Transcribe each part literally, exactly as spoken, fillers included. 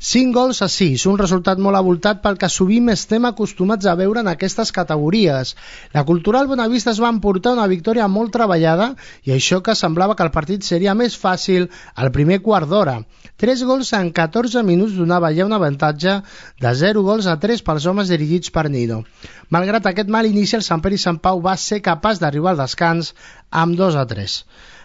cinc gols a sis, un resultat molt avoltat pel que sovint estem acostumats a veure en aquestes categories. La Cultural Bonavista es va emportar una victòria molt treballada i això que semblava que el partit seria més fàcil al primer quart d'hora. Tres gols en catorze minuts donava ja un avantatge de zero gols a tres pels homes dirigits per Nino. Malgrat aquest mal inici, el Sant Pere i Sant Pau va ser capaç d'arribar al descans amb dos a tres.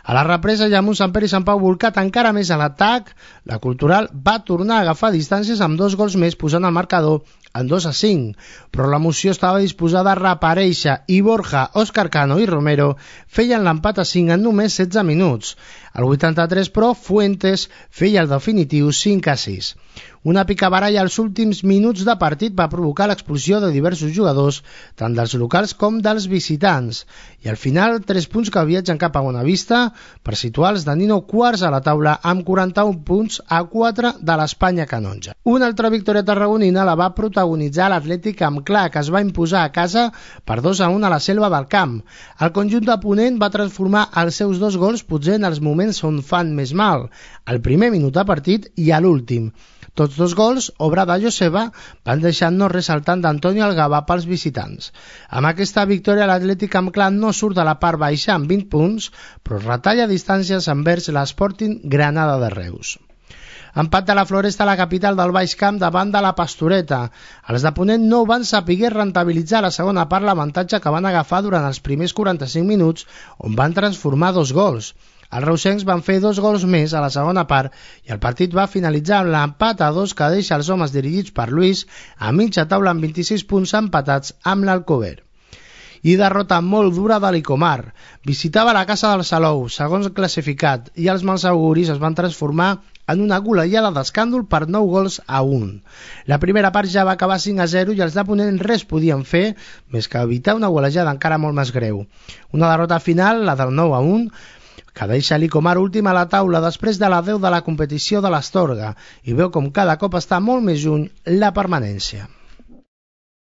A la represa, ja amb un Sant Pere i Sant Pau volcat encara més a l'atac, la Cultural va tornar a agafar distàncies amb dos gols més, posant el marcador en dos a cinc, però l'emoció estava disposada a reaparèixer i Borja, Òscar Cano i Romero feien l'empat a cinc en només setze minuts. Al vuitanta-tres, però, Fuentes feia el definitiu cinc a sis. Una picabaralla als últims minuts de partit va provocar l'expulsió de diversos jugadors, tant dels locals com dels visitants. I al final, tres punts que viatgen cap a Bonavista per situar els de Nino quarts a la taula amb quaranta-un punts a quatre de l'Espanya canonja. Una altra victòria tarragonina la va protagonitzar l'Atlètic amb Clar, que es va imposar a casa per dos a un a la Selva del Camp. El conjunt de Ponent va transformar els seus dos gols potser en els moments on fan més mal, al primer minut de partit i a l'últim. Tots dos gols, obra de Joseba, van deixar no ressaltant d'Antonio Algaba pels visitants. Amb aquesta victòria l'Atlètic amb Clar no surt de la part baixa amb vint punts, però retalla distàncies envers l'Sporting Granada de Reus. Empat de la Floresta a la capital del Baix Camp davant de la Pastoreta. Els de Ponent no van saber rentabilitzar la segona part l'avantatge que van agafar durant els primers quaranta-cinc minuts, on van transformar dos gols. Els reusencs van fer dos gols més a la segona part i el partit va finalitzar amb l'empat a dos que deixa els homes dirigits per Luis a mitja taula amb vint-i-sis punts empatats amb l'Alcover. I derrota molt dura de l'Icomar. Visitava la casa del Salou, segons classificat, i els mals auguris es van transformar en una golejada d'escàndol per nou gols a un. La primera part ja va acabar cinc a zero i els de Ponent res podien fer més que evitar una golejada encara molt més greu. Una derrota final, la del nou a un, que deixa l'Icomar últim a la taula després de la deu de la competició de l'Astorga i veu com cada cop està molt més lluny la permanència.